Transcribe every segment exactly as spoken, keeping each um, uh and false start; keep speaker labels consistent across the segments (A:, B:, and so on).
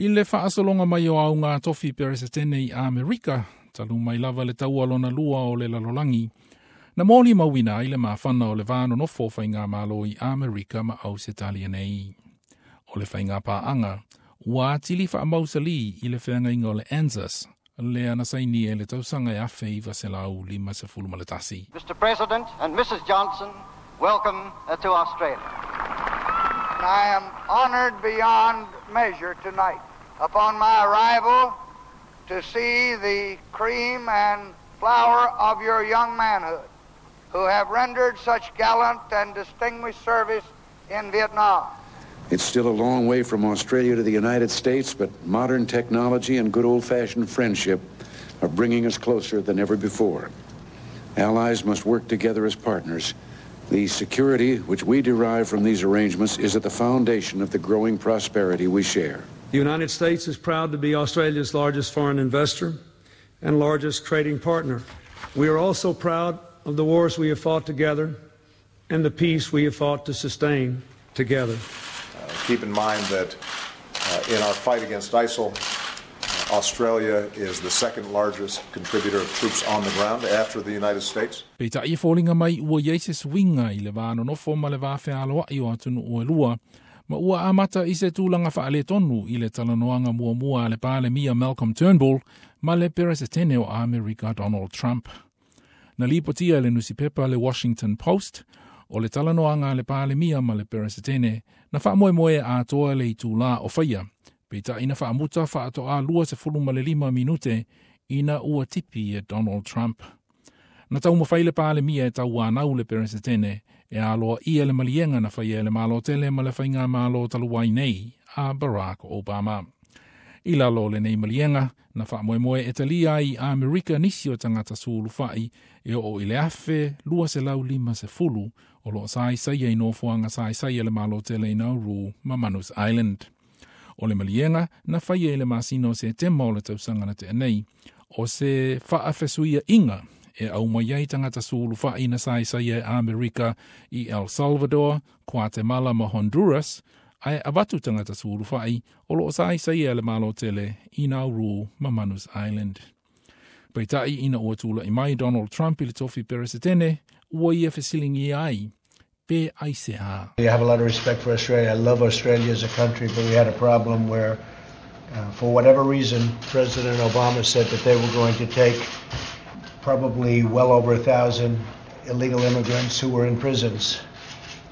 A: I le faasologa mai o auga tofi Peresetene i Amerika, talu mai lava le taua lona lua o le lalolagi, na moli mauina ai le mafana o le va nonofo faiga malo i Amerika ma Ausetalia nei. O le faiga paaga, ua atili faamausali i le feagaiga o le ANZUS, lea na sainia i le tausaga e afe iva selau lima sefulu ma le tasi.
B: Mister President and Missus Johnson, welcome to Australia.
C: I am honored beyond measure tonight upon my arrival to see the cream and flower of your young manhood who have rendered such gallant and distinguished service in Vietnam.
D: It's still a long way from Australia to the United States, but modern technology and good old-fashioned friendship are bringing us closer than ever before. Allies must work together as partners. The security which we derive from these arrangements is at the foundation of the growing prosperity we share.
E: The United States is proud to be Australia's largest foreign investor and largest trading partner. We are also proud of the wars we have fought together and the peace we have fought to sustain together.
F: Uh, keep in mind that, uh, in our fight against ISIL, uh, Australia is the second largest contributor of troops on the ground after the United States.
A: Peitai e foliga mai ua iai se suiga i le va nonofo ma le va fealoai o atunuu e lua, ma ua amata i se tulaga faaletonu i le talanoaga muamua a le Palemia Malcolm Turnbull ma le Peresetene o Amerika Donald Trump. Na lipotia e le nusipepa le Washington Post, o le talanoaga a le Palemia ma le Peresetene, na faamoemoe atoa le itulā o faia, peitai na faamuta faatoa lua sefulu ma le lima minute ina ua tipi e Donald Trump. Na taumafai le Palemia e tauanau le Peresetene e aloaia le maliega na faia e le Malo tele ma le faiga malo talu ai nei a Barack Obama. I lalo o lenei maliega, na faamoemoe e talia ai Amerika nisi o tagata sulufai e oo i le afe lua selau lima sefulu o loo saisaia i nofoaga saisaia le Malo tele i Nauru ma Manus Island. O le maliega na faia i le masina o Setema o le tausaga na tea nei, o se faafesuiaiga e aumai ai tagata sulufai na saisaia e Amerika i El Salvador, Guatemala ma Honduras, ae avatu tagata sulufai o loo saisaia le Malo tele i Nauru ma Manus Island. Peitai ina ua tula'i mai Donald Trump i le tofi Peresetene, ua ia fesiligia ai, pe aisea.
G: I have a lot of respect for Australia. I love Australia as a country, but we had a problem where, uh, for whatever reason, President Obama said that they were going to take probably well over a thousand illegal immigrants who were in prisons,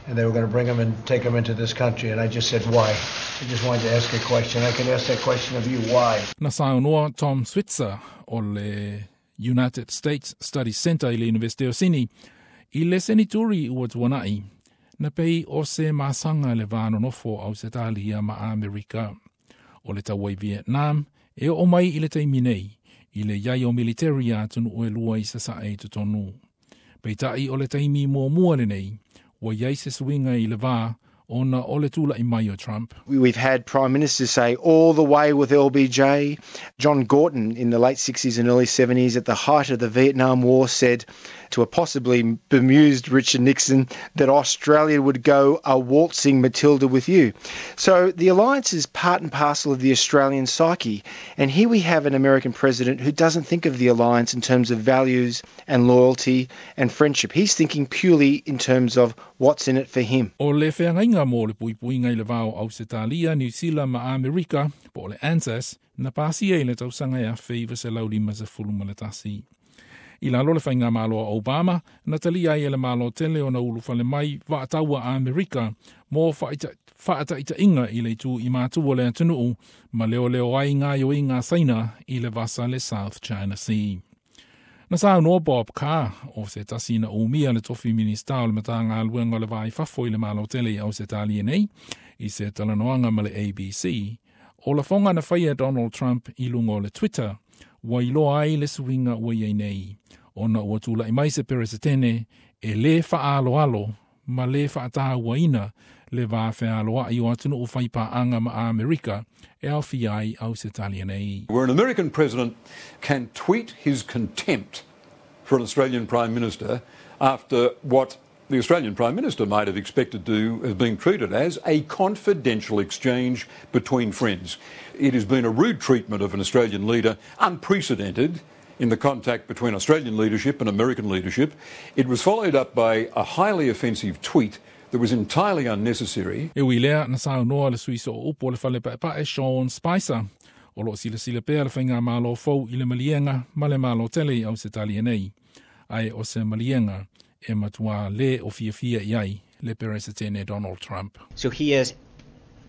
G: and they were gonna bring them and take them into this country. And I just said, why? I just wanted to ask a question. I can ask that question of you, why?
A: Na saunoa Tom Switzer o le United States Studies Center i le University o Sydney, i le senituri ua tuanai, na pei o se masaga le va nonofo Ausetalia ma Amerika. O le taua i Vietnam, e oo mai i le taimi nei, i le iai o military atunuu e lua i sasae i totonu. Peitai o le taimi muamua lenei, ua iai se suiga i le va ona o le tula'i mai o Trump.
H: We've had prime ministers say all the way with L B J. John Gorton in the late sixties and early seventies at the height of the Vietnam War said to a possibly bemused Richard Nixon that Australia would go a waltzing Matilda with you. So the alliance is part and parcel of the Australian psyche. And here we have an American president who doesn't think of the alliance in terms of values and loyalty and friendship. He's thinking purely in terms of what's in it for him.
A: O le feagaiga mo le puipuiga i le va o Ausetalia, New Zealand ma Amerika, po o le ANZUS, na pasia i le tausaga e afe iva selau lima sefulu ma le tasi. I lalo le faiga malo a Obama, na talia ai e le Malo tele ona ulufale mai vaataua a Amerika mo faataitaiga i le itu i matua o le atunuu ma leoleo ai gaoioiga Saina i le vasa le South China Sea. Na saunoa Bob Carr o se tasi na umia le tofi minista o le Matagaluega o le Va i Fafo i le Malo tele i Ausetalia nei, i se talanoaga ma le A B C, o lafoga na faia Donald Trump i luga o le Twitter, ua iloa ai le suiga ua iai nei, ona ua tula'i mai se Peresetene e lē faaaloalo ma lē faatauaina le va fealoai o atunuu faipaaga ma Amerika e aofia ai Ausetalia nei.
I: Where an American president can tweet his contempt for an Australian Prime Minister after what the Australian Prime Minister might have expected to have been treated as a confidential exchange between friends. It has been a rude treatment of an Australian leader, unprecedented in the contact between Australian leadership and American leadership. It was followed up by a highly offensive tweet that was entirely unnecessary.
A: E ui lea na saunoa le sui sooupu o le fale paepae Sean Spicer. O lo o silasila pea le faigamalo fou i le maliega ma le Malo tele i Ausetalia nei. Ae o se maliega e matua le o fiafia i ai le Peresetene Donald Trump.
J: So he has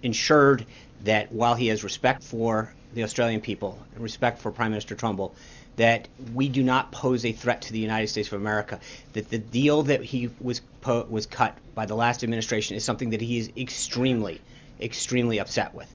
J: ensured that while he has respect for the Australian people and respect for Prime Minister Trumbull, that we do not pose a threat to the United States of America, that the deal that he was po- was cut by the last administration is something that he is extremely, extremely upset with.